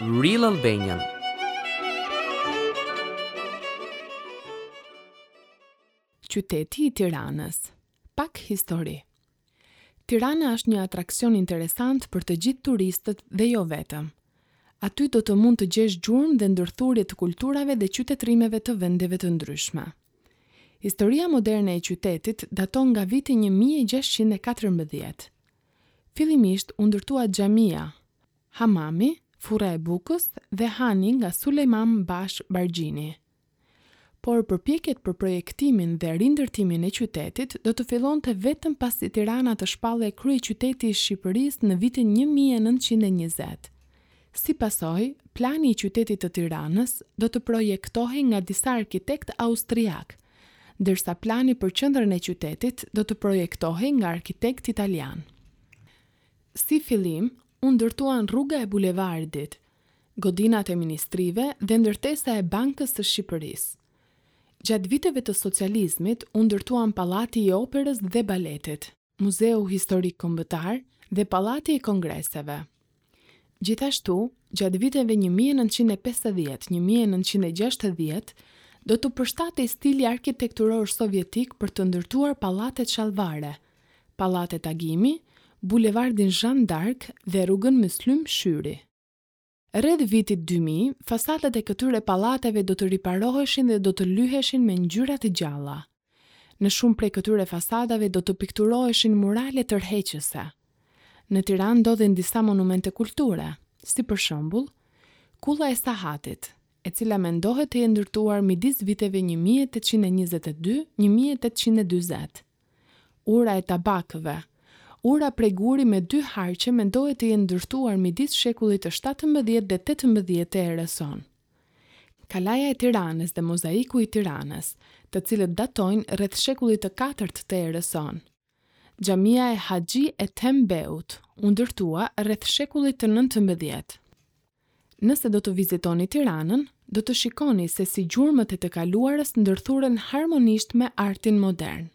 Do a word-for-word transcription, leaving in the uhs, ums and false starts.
Real Albanian. Qyteti i Tiranës. Pak histori. Tirana është një atraksion interesant për të gjithë turistët dhe jo vetëm. Aty do të mund të gjesh gjurmë dhe ndërthurje të kulturave dhe qytetërimeve të vendeve të ndryshme. Historia moderne e qytetit daton nga viti një mijë e gjashtëqind e katërmbëdhjetë. Fillimisht u ndërtua xhamia, hamami, furra e bukës dhe hani nga Sulejman Bash Bargjini. Por përpjekjet për projektimin dhe rindërtimin e qytetit do të fillonte vetëm pasi Tirana të shpallej kryeqyteti i Shqipërisë në vitin një mijë e nëntëqind e njëzet. Si pasojë, plani i qytetit të Tiranës do të projektohej nga disa arkitektë austriak, ndërsa plani për qendrën e qytetit do të projektohej nga arkitektë italian. Si fillim, u ndërtuan rruga e bulevardit, godinat e ministrive dhe ndërtesa e Bankës së Shqipërisë. Gjatë viteve të socializmit u ndërtuan Pallati i Operës dhe Baletit, Muzeu Historik Kombëtar dhe Pallati i Kongreseve. Gjithashtu, gjatë viteve një mijë e nëntëqind e pesëdhjetë, një mijë e nëntëqind e gjashtëdhjetë, do të përshtatej stili arkitekturor sovjetik për të ndërtuar pallatet shallvare, pallatet Agimi, bulevardin Jean d'Arc dhe rrugën Myslym Shyri. Rreth vitit dy mijë, fasadat e këtyre pallateve do të riparoheshin dhe do të lyheshin me ngjyra të gjalla. Në shumë prej këtyre fasadave do të pikturoheshin murale tërheqëse. Në Tiranë ndodhen disa monumente kulture, si për shembull, Kulla e Sahatit, e cila mendohet të jetë ndërtuar midis viteve një mijë e tetëqind e njëzet e dy, një mijë e tetëqind e dyzet. Ura e Tabakëve, ura prej guri me dy harqe mendohet të jetë ndërtuar midis shekullit të shtatëmbëdhjetë dhe tetëmbëdhjetë të erës sonë. Kalaja e Tiranës dhe mozaiku i Tiranës, të cilët datojnë rreth shekullit të katërt të erës sonë. Xhamia e Haxhi Ethem Beut u ndërtua rreth shekullit të nëntëmbëdhjetë. Nëse do të vizitoni Tiranën, do të shikoni se si gjurmët e të kaluarës ndërthuren harmonisht me artin modern.